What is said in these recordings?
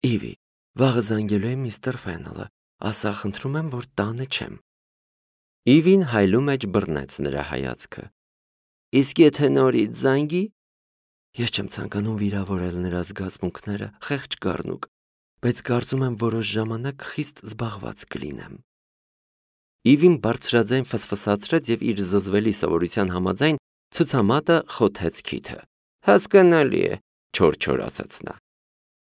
Իվի, վաղը զանգելու է միստր Ֆենելը, ասա խնդրում եմ, որ տանը չեմ։ Իվին հայլու մեջ բռնեց նրա հայացքը։ Իսկ եթե նորից զանգի, ես չեմ ցանկանում վիրավորել նրա զգացմունքները, խեղճ գառնուկ, բայց կարծում եմ որոշ ժամանակ խիստ զբաղված կլինեմ։ Իվին բարձրաձայն ֆսֆսացրեց եւ իր զզվելի սովորության համաձայն ցուցամատը խոթեց քիթը։ Հասկանալի է, չոր ասաց նա։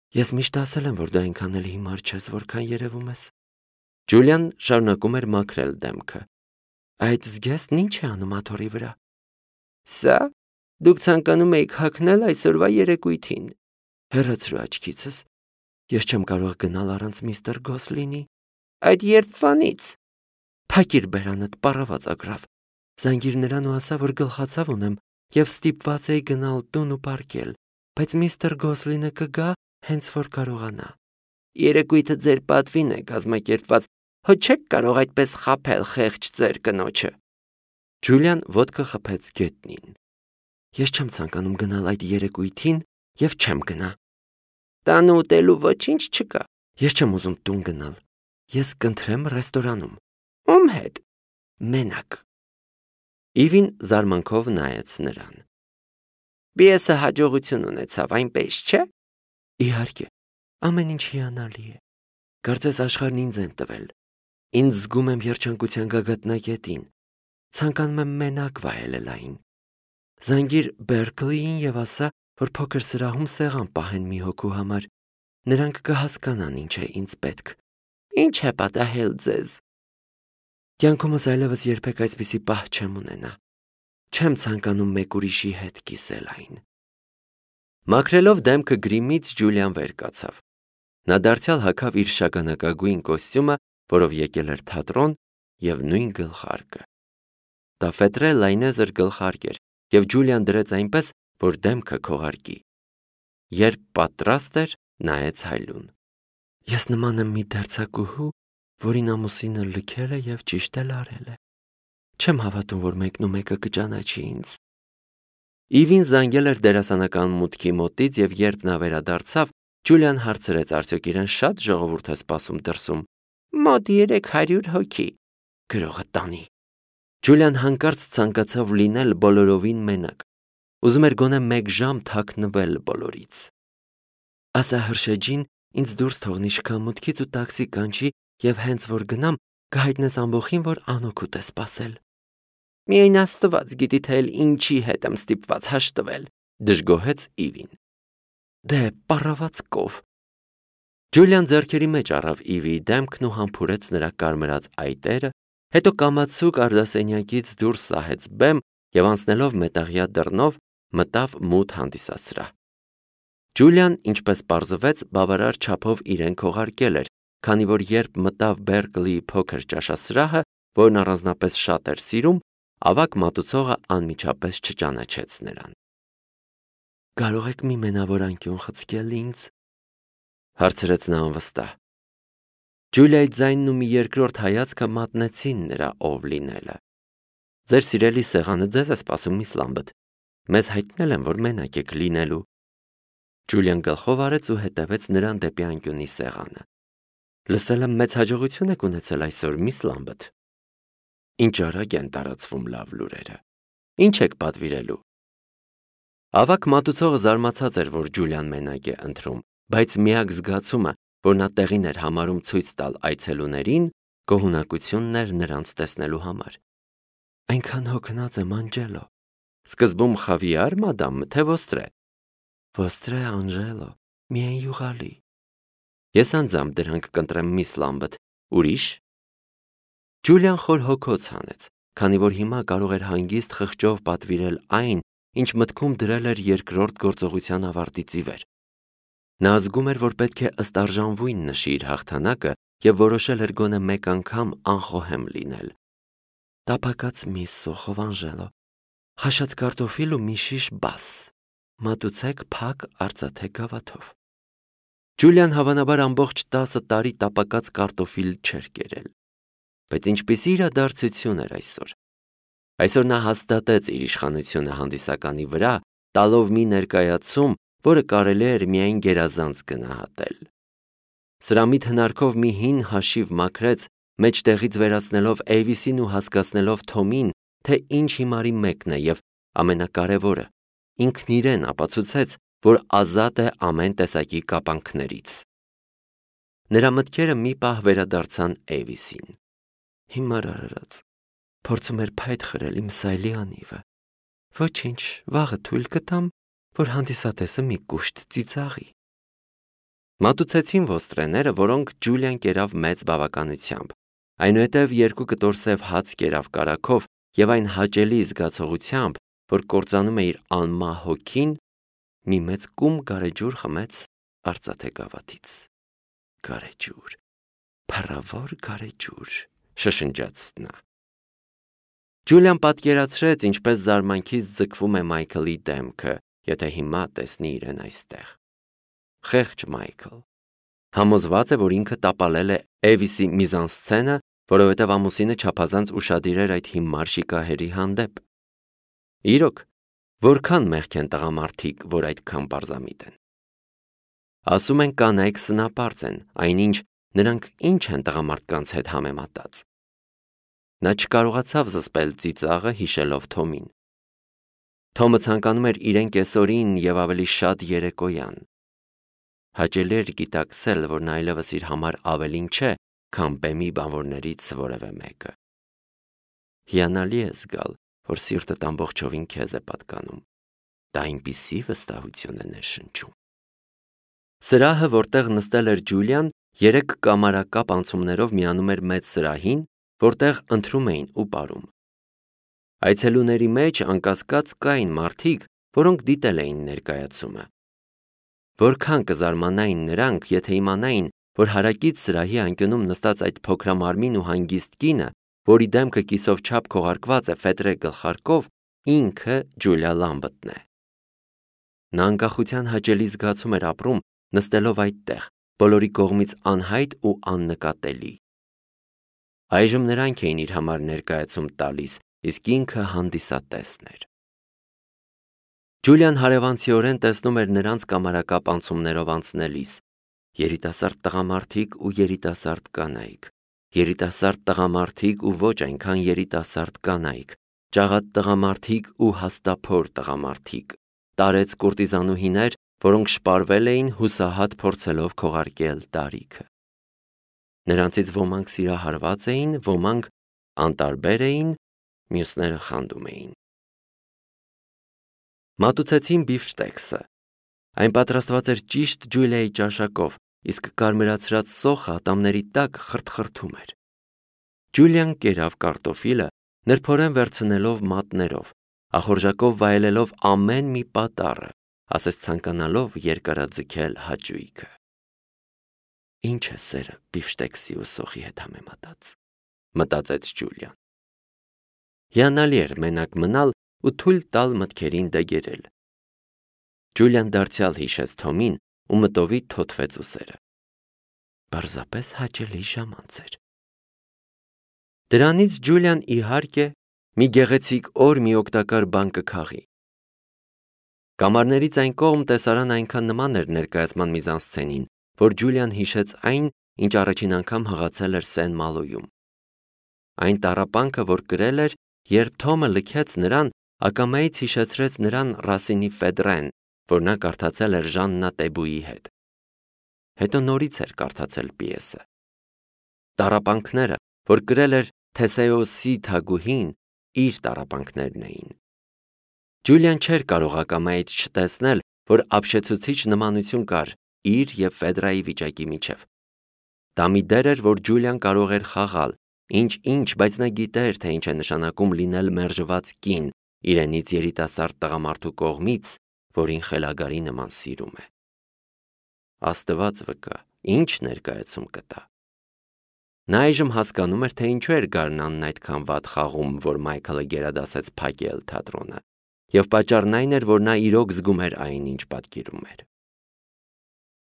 Ես միշտ ասել եմ, որ դու այնքան էլ հիմար չես, որքան երևում ես։ Ջուլիան շարունակում էր մաքրել դեմքը։ Այդ զգեստն ինչ է անում աթոռի վրա։ Սա դուք ցանկանում եք հագնել այսօրվա երեկույթին։ Հեռացրու աչքիցս։ Ես չեմ կարող գնալ առանց միստր Գոսլինի։ Այդ երբվանից։ Փակիր բերանդ, պառավաց ագռավ։ Զանգիր նրան ու ասա, որ գլխացավ ունեմ եւ ստիպված էի գնալ տուն ու պարկել, բայց միստր Գոսլինը կգա, հենց որ կարողանա։ Երեկույթը ձեր պատվին է կազմակերպված, հո չեք կարող այդպես խաբել խեղճ ձեր կնոջը։ Ջուլիան ոտքը խփեց գետնին։ Ես չեմ ցանկանում գնալ այդ երեկույթին եւ չեմ գնա։ Տանը ուտելու ոչինչ չկա։ Ես չեմ ուզում տուն գնալ։ Ես կընտրեմ ռեստորանում։ Ում հետ։ Մենակ։ Իվին զարմանքով նայեց նրան։ Բիեսը հաջողություն ունեցավ, այնպես չէ։ Իհարկե, ամեն ինչ հիանալի է։ Կարծես աշխարհն ինձ են տվել։ Ինձ զգում եմ երջանկության գագաթնակետին։ Ցանկանում եմ մենակ վայելել այն։ Զանգիր Բերկլիին եւ ասա, որ փոքր սրահում սեղան պահեն մի հոգու համար։ Նրանք կհասկանան ինչ է ինձ պետք։ Ինչ է պատահել ձեզ։ Կյանքումս այլևս երբեք այսպիսի պահ չեմ ունենա։ Չեմ ցանկանում մեկ ուրիշի հետ կիսել այն։ Մաքրելով դեմքը գրիմից Ջուլիան վեր կացավ։ Նա դարձյալ հագավ իր շագանակագույն կոստյումը, որով եկել էր թատրոն, եւ նույն գլխարկը։ Դա ֆետրե լայնեզր գլխարկ էր, եւ Ջուլիան դրեց այնպես, որ դեմքը քողարկի։ Երբ պատրաստ էր, նայեց հայլուն։ Ես նման եմ մի դերձակուհու, որին ամուսինը լքել է եւ ճիշտ էլ արել է։ Չեմ հավատում, որ մեկնումեկը կճանաչի ինձ։ Իվին զանգել էր դերասանական մուտքի մոտից եւ երբ նա վերադարձավ, Ջուլիան հարցրեց արդյոք իրեն շատ ժողովուրդ է սպասում դրսում։ Մոտ 300 հոգի։ Գրողը տանի։ Ջուլիան հանկարծ ցանկացավ լինել բոլորովին մենակ։ Ուզում էր գոնե 1 ժամ թաքնվել բոլորից։ Ասա հրշեջին ինձ դուրս թողնի շքամուտքից ու տաքսի կանչի եւ հենց որ գնամ կհայտնես ամբողին, որ անօգուտ է սպասել։ Միայն Աստված գիտի թե ինչի հետ եմ ստիպված հաշտվել, դժգոհեց Իվին։ Դե պառավաց կով։ Ջուլիան ձեռքերի մեջ առավ Իվիի դեմքն ու համբուրեց նրա կարմրած այտերը, հետո կամացուկ արդասենյակից դուրս սահեց բեմ եւ անցնելով մետաղյա դռնով մտավ մութ հանդիսասրահ։ Ջուլիան, ինչպես պարզվեց, բավարար չափով իրեն քողարկել էր, քանի որ երբ մտավ Բերկլիի փոքր ճաշասրահը, որն առանձնապես շատ էր սիրում, ավագ մատուցողը անմիջապես չճանաչեց նրան։ Կարող եք մի մենավոր անկյուն խցկել ինձ, հարցրեց նա անվստահ։ Ջուլիայի ձայնն ու մի երկրորդ հայացքը մատնեցին նրա ով լինելը։ Ձեր սիրելի սեղանը ձեզ է սպասում, միս Լամբետ։ Մեզ հայտնել են, որ մենակ եք լինելու։ Ջուլիան գլխով արեց ու հետևեց նրան դեպի անկյունի սեղանը։ Լսել եմ մեծ հաջողություն եք ունեցել այսօր, միս Լամբետ։ Ինչ արագ են տարածվում լավ լուրերը։ Ինչ եք պատվիրելու։ Ավակ մատուցողը զարմացած էր, որ Ջուլիան մենակ է ընտրում, բայց միակ զգացումը, որ նա տեղին էր համարում ցույց տալ այցելուներին, գոհունակությունն էր նրանց տեսնելու համար։ Այնքան հոգնած եմ, Անջելո։ Սկզբում խավիար, մադամ, թե ոստրե։ Ոստրե, Անջելո, միայն յուղալի։ Ես անձամբ դրանք կընտրեմ, միս Լամբետ, ուրիշ։ Ջուլիան խոր հոգոց հանեց, քանի որ հիմա կարող էր հանգիստ խղճով պատվիրել այն, ինչ մտքում դրել էր երկրորդ գործողության ավարտից ի վեր։ Նա զգում էր, որ պետք է ըստ արժանվույն նշի իր հաղթանակը եւ որոշել էր գոնե մեկ անգամ անխոհեմ լինել։ Տապակած միս սոխով, Անջելո, խաշած կարտոֆիլ ու մի շիշ բաս, մատուցեք փակ արծաթե գավաթով։ Ջուլիան հավանաբար ամբողջ 10 տարի տապակած կարտոֆիլ չէր կերել։ Բայց ինչպիսի իրադարձություն էր այսօր։ Այսօր նա հաստատեց իր իշխանությունը հանդիսականի վրա, տալով մի ներկայացում, որը կարելի էր միայն գերազանց գնահատել։ Սրամիտ հնարքով մի հին հաշիվ մաքրեց, մեջտեղից վերացնելով Էյվիսին ու հասկացնելով Թոմին, թե ինչ հիմարի մեկն է և ամենակարևորը, ինքն իրեն ապացուցեց, որ ազատ է ամեն տեսակի կապանքներից։ Նրա մտքերը մի պահ վերադարձան Էյվիսին։ Հիմար արարած, փորձում էր փայտ խրել իմ սայլի անիվը։ Ոչինչ, վաղը թույլ կտամ, որ հանդիսատեսը մի կուշտ ծիծաղի։ Մատուցեցին ոստրեները, որոնք Ջուլիան կերավ մեծ բավականությամբ, այնուհետև 2 կտոր սև հաց կերավ կարագով և այն հաճելի զգացողությամբ, որ կործանում է իր անմահ հոգին, մի մեծ կում գարեջուր խմեց արծաթե գավաթից։ Գարեջուր, փառավոր գարեջուր, շշնջաց նա։ Ջուլիան պատկերացրեց, ինչպես զարմանքից ձգվում է Մայքլի դեմքը, եթե հիմա տեսնի իրեն այստեղ։ Խեղճ Մայքլ համոզված է, որ ինքը տապալել է Էվիսի միզանսցենը, որովհետև ամուսինը չափազանց ուշադիր էր այդ հիմար շիկահերի հանդեպ։ Իրոք, որքան մեղք են տղամարդիկ, որ այդքան պարզամիտ են։ Ասում են կանայք սնապարծ են, այնինչ նրանք ինչ են տղամարդկանց հետ համեմատած։ Նա չկարողացավ զսպել ծիծաղը, հիշելով Թոմին։ Թոմը ցանկանում էր իրեն կեսօրին և ավելի շատ երեկոյան։ Հաճելի էր գիտակցել, որ նա այլևս իր համար ավելին չէ, քան բեմի բանվորներից որևէ մեկը։ Հիանալի է զգալ, որ սիրտդ ամբողջովին քեզ է պատկանում։ Դա այնպիսի վստահություն է ներշնչում։ Սրահը, որտեղ նստել էր Ջուլիան, 3 կամարակապ անցումներով միանում էր մեծ սրահին, որտեղ ընթրում էին ու պարում։ Այցելուների մեջ անկասկած կային մարդիկ, որոնք դիտել էին ներկայացումը։ Որքան կզարմանային նրանք, եթե իմանային, որ հարակից սրահի անկյունում նստած այդ փոքրամարմին ու հանգիստ կինը, որի դեմքը կիսով չափ քողարկված է ֆետրե գլխարկով, ինքը Ջուլիա Լամբթն է։ Նա անկախության հաճելի զգացում էր ապրում, նստելով այդտեղ, բոլորի կողմից անհայտ ու աննկատելի։ Այժմ նրանք էին իր համար ներկայացում տալիս, իսկ ինքը հանդիսատեսն էր։ Ջուլիան հարևանցիորեն տեսնում էր նրանց կամարակապ անցումներով անցնելիս, երիտասարդ տղամարդիկ ու երիտասարդ կանայք, երիտասարդ տղամարդիկ ու ոչ այնքան երիտասարդ կանայք, ճաղատ տղամարդիկ ու հաստափոր տղամարդիկ, տարեց կուրտիզանուհիներ, որոնք շպարվել էին հուսահատ փորձելով քողարկել տարիքը։ Նրանցից ոմանք սիրահարված էին, ոմանք անտարբեր էին, մյուսները խանդում էին։ Մատուցեցին բիֆշտեքսը։ Այն պատրաստված էր ճիշտ Ջուլիայի ճաշակով, իսկ կարմրացրած սոխը ատամների տակ խրթխրթում էր։ Ջուլիան կերավ կարտոֆիլը, նրբորեն վերցնելով մատներով, ախորժակով վայելելով ամեն մի պատառը, ասես ցանկանալով երկարաձգել հաճույքը։ Ինչ է սերը բիֆշտեքսի ու սոխի հետ համեմատած, մտածեց Ջուլիան։ Հիանալի էր մենակ մնալ ու թույլ տալ մտքերին դեգերել։ Ջուլիան դարձյալ հիշեց Թոմին ու մտովի թոթվեց ուսերը։ Պարզապես հաճելի ժամանց էր։ Դրանից Ջուլիան իհարկե մի գեղեցիկ օր մի օգտակար բան կքաղի։ Կամարներից այն կողմ տեսարան այնքան նման էր ներկայացման միզանսցենին, որ Ջուլիան հիշեց այն, ինչ առաջին անգամ հղացել էր Սեն-Մալոյում։ Այն տառապանքը, որ կրել էր, երբ Թոմը լքեց նրան, ակամայից հիշեցրեց նրան Ռասինի Ֆեդրեն, որ նա կարդացել էր Ժաննա Տեբուի հետ։ Հետո նորից էր կարդացել պիեսը։ Տառապանքները, որ կրել էր Թեսեոսի թագուհին, իր տառապանքներն էին։ Ջուլիան չէր կարող ակամայից չտեսնել, որ ապշեցուցիչ նմանություն կար իր և Ֆեդրայի վիճակի միջև։ Դա մի դեր էր, որ Ջուլիան կարող էր խաղալ, ինչ, բայց նա գիտեր, թե ինչ է նշանակում լինել մերժված կին իրենից երիտասարդ տղամարդու կողմից, որին խելագարի նման սիրում է։ Աստված վկա, ինչ ներկայացում կտա։ Նա այժմ հասկանում էր, թե ինչու էր գարնանն այդքան վատ խաղում, որ Մայքլը գերադասեց փակել թատրոնը, և պատճառն այն էր, որ նա իրոք զգում էր այն, ինչ պատկերում էր։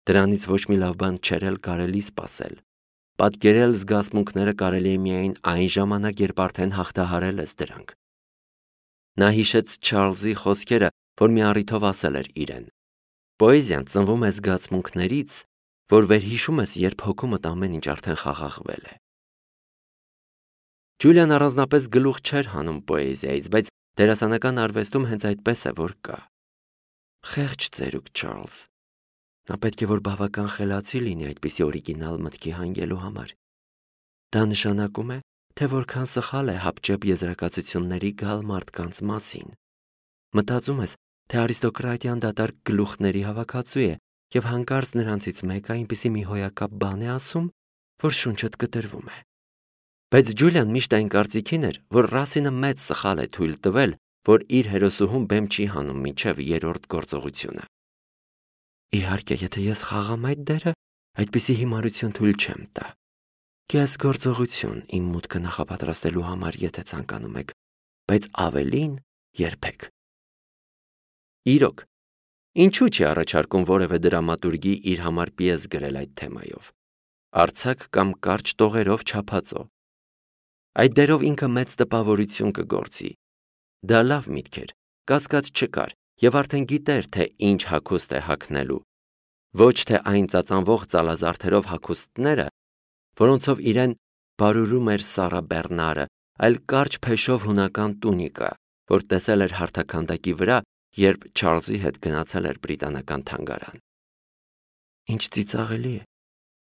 Դրանից ոչ մի լավ բան չէր էլ կարելի սպասել։ Պատկերել զգացմունքները կարելի է միայն այն ժամանակ, երբ արդեն հաղթահարել ես դրանք։ Նա հիշեց Չարլզի խոսքերը, որ մի առիթով ասել էր իրեն. «Պոեզիան ծնվում է զգացմունքներից, որ վերհիշում ես, երբ հոգումդ ամեն ինչ արդեն խաղաղվել է։ Ջուլիան առանձնապես գլուխ չէր հանում պոեզիայից, բայց դերասանական արվեստում հենց այդպես է, որ կա։ Խեղճ ծերուկ Չարլզ։ Նա պետք է որ բավական խելացի լինի այդպիսի օրիգինալ մտքի հանգելու համար։ Դա նշանակում է, թե որքան սխալ է հապճեպ եզրակացությունների գալ մարդկանց մասին։ Մտածում ես, թե արիստոկրատիան դատարկ գլուխների հավաքածու է և հանկարծ նրանցից մեկը այնպիսի մի հոյակապ բան է ասում, որ շունչդ կտրվում է։ Բայց Ջուլիան միշտ այն կարծիքին էր, որ Ռասինը մեծ սխալ է թույլ տվել, որ իր հերոսուհուն բեմ չի հանում մինչև երրորդ գործողությունը։ Իհարկե, եթե ես խաղամ այդ դերը, այդպիսի հիմարություն թույլ չեմ տա։ Կես գործողություն իմ մուտքը նախապատրաստելու համար, եթե ցանկանում եք, բայց ավելին երբեք։ Իրոք, ինչու՞ չի առաջարկում որևէ դրամատուրգի իր համար պիես գրել այդ թեմայով։ Արձակ կամ կարճ տողերով չափածո։ Այդ դերով ինքը մեծ տպավորություն կգործի։ Դա լավ միտք էր, կասկած չկար, և արդեն գիտեր, թե ինչ հագուստ է հագնելու։ Ոչ թե այն ծածանվող ծալազարդերով հագուստները, որոնցով իրեն բարուրում էր Սառա Բեռնարը, այլ կարճ փեշով հունական տունիկա, որ տեսել էր հարթաքանդակի վրա, երբ Չարլզի հետ գնացել էր բրիտանական թանգարան։ Ինչ ծիծաղելի է։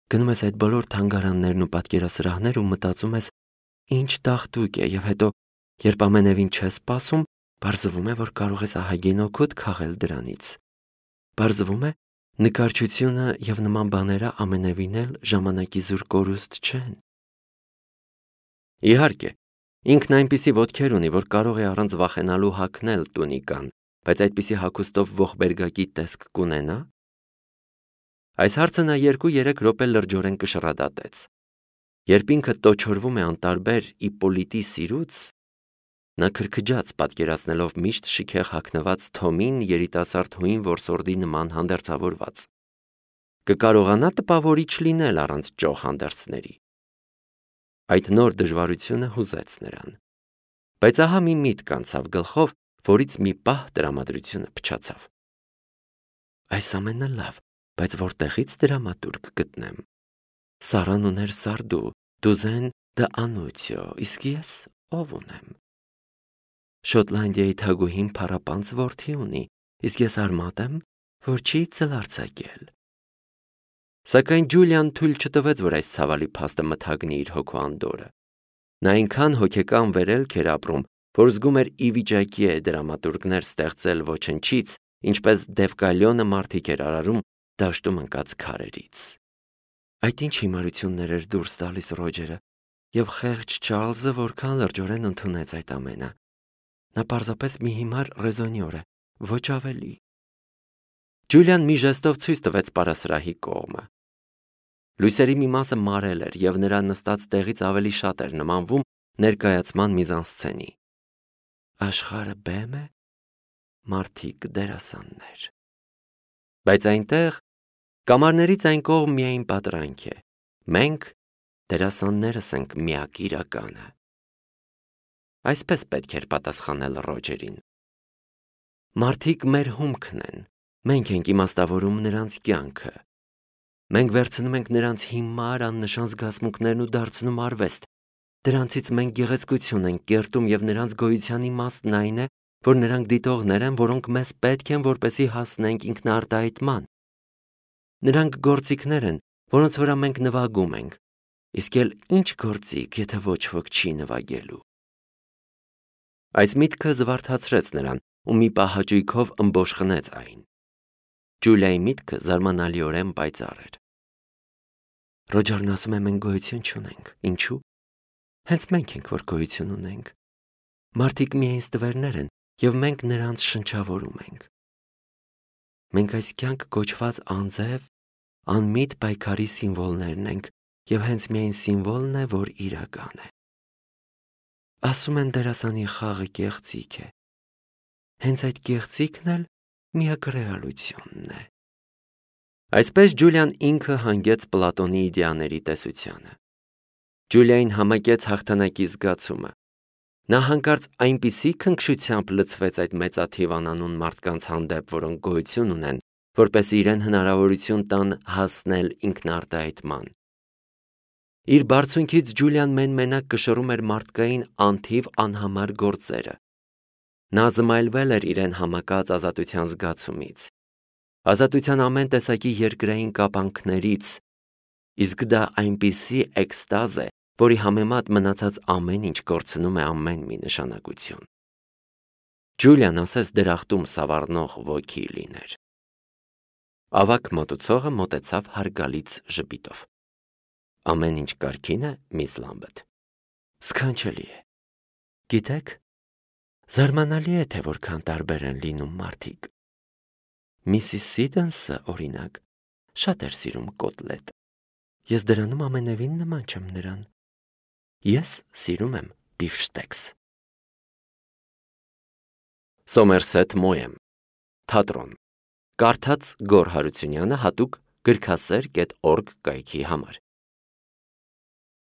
Գնում ես այդ բոլոր թանգարաններն ու պատկերասրահներ ու մտածում ես, ինչ տաղտուկ է, և հետո, երբ ամենևին չես սպասում, պարզվում է, որ կարող ես ահագին օգուտ քաղել դրանից։ Պարզվում է, նկարչությունը և նման բաները ամենևին էլ ժամանակի զուր կորուստ չեն։ Իհարկե, ինքն այնպիսի ոտքեր ունի, որ կարող է առանց վախենալու հագնել տունիկան, բայց այդպիսի հագուստով ողբերգակի տեսք կունենա՞։ Այս հարցը նա 2-3 րոպե լրջորեն կշռադատեց։ Երբ ինքը տոչորվում է անտարբեր Իպպոլիտի սիրուց, նա քրքջաց պատկերացնելով միշտ շքեղ հագնված Թոմին երիտասարդ հույն որսորդի նման հանդերձավորված։ Կկարողանա տպավորիչ լինել առանց ճոխ հանդերձների։ Այդ նոր դժվարությունը հուզեց նրան։ Բայց ահա մի միտք անցավ գլխով, որից մի պահ տրամադրությունը փչացավ։ Այս ամենը լավ, բայց որտեղից դրամատուրգ գտնեմ։ Սառան ուներ Սարդու, Դուզեն դե Անուցիո, իսկ ես ով ունեմ։ Շոտլանդիայի թագուհին փառապանծ որդի ունի, իսկ ես արմատ եմ, որ չի ծլարձակել։ Սակայն Ջուլիան թույլ չտվեց, որ այս ցավալի փաստը մթագնի իր հոգու անդորը։ Նա այնքան հոգեկան վերելք էր ապրում, որ զգում էր ի վիճակի է դրամատուրգներ ստեղծել ոչնչից, ինչպես Դևկալյոնը մարդիկ էր արարում դաշտում ընկած քարերից։ Այդ ինչ հիմարություններ էր դուրս տալիս Ռոջերը, և խեղճ Չարլզը որքան լրջորեն ընդունեց այդ ամենը։ Նա պարզապես մի հիմար ռեզոնյոր է, ոչ ավելի։ Ջուլիան մի ժեստով ցույց տվեց պարասրահի կողմը։ Լույսերի մի մասը մարել էր, և նրա նստած տեղից ավելի շատ էր նմանվում ներկայացման միզանսցենի։ Աշխարհը բեմ է, մարդիկ դերասաններ։ Բայց այնտեղ կամարներից այն կողմ միայն պատրանք է։ Մենք դերասաններս ենք միակ իրականը։ Այսպես պետք էր պատասխանել Ռոջերին։ Մարդիկ մեր հումքն են, մենք ենք իմաստավորում նրանց կյանքը։ Մենք վերցնում ենք նրանց հիմար աննշան զգացմունքներն ու դարձնում արվեստ։ Դրանցից մենք գեղեցկություն ենք կերտում, և նրանց գոյության իմաստն այն է, որ նրանք դիտողներ են, որոնք մեզ պետք են, որպեսզի հասնենք ինքնարտահայտման։ Նրանք գործիքներ են, որոնց վրա մենք նվագում ենք, իսկ էլ ինչ գործիք, եթե ոչ ոք չի նվագելու։ Այս միտքը զվարթացրեց նրան ու մի պահ հաճույքով ըմբոշխնեց այն։ Ջուլիայի միտքը զարմանալիորեն պայծառ էր։ Ռոջերն ասում է, մենք գոյություն չունենք։ Ինչու՞։ Հենց մենք ենք, որ գոյություն ունենք։ Մարդիկ միայն ստվերներ են, և մենք նրանց շնչավորում ենք։ Մենք այս կյանք կոչված անձև, անմիտ պայքարի սիմվոլներն ենք, և հենց միայն սիմվոլն է, որ իրական է։ Ասում են դերասանի խաղը կեղծիք է։ Հենց այդ կեղծիքն էլ միակ ռեալությունն է։ Այսպես Ջուլիան ինքը հանգեց Պլատոնի իդեաների տեսությանը։ Ջուլիային համակեց հաղթանակի զգացումը։ Նա հանկարծ այնպիսի քնքշությամբ լցվեց այդ մեծաթիվ անանուն մարդկանց հանդեպ, որոնք գոյություն ունեն, որպեսզի իրեն հնարավորություն տան հասնել ինքնարտահայտման։ Իր բարձունքից Ջուլիան մեն-մենակ կշռում էր մարդկային անթիվ անհամար գործերը։ Նա զմայլվել էր իրեն համակած ազատության զգացումից, ազատության ամեն տեսակի երկրային կապանքներից, իսկ դա այնպիսի էքստազ է, որի համեմատ մնացած ամեն ինչ կորցնում է ամեն մի նշանակություն։ Ջուլիան ասես դրախտում սավառնող ոգի լիներ։ Ավագ մատուցողը մոտեցավ հարգալից ժպիտով։ Ամեն ինչ կարգին է, միս Լամբեթ։ Սքանչելի է։ Գիտեք, զարմանալի է, թե որքան տարբեր են լինում մարդիկ։ Միսիս Սիդենսը, օրինակ, շատ էր սիրում կոտլետ։ Ես դրանում ամենևին նման չեմ նրան։ Ես սիրում եմ բիֆշտեքս։ Սոմերսեթ Մոեմ, թատրոն։ Կարդաց Գոր Հարությունյանը հատուկ գրքասեր.org կայքի համար։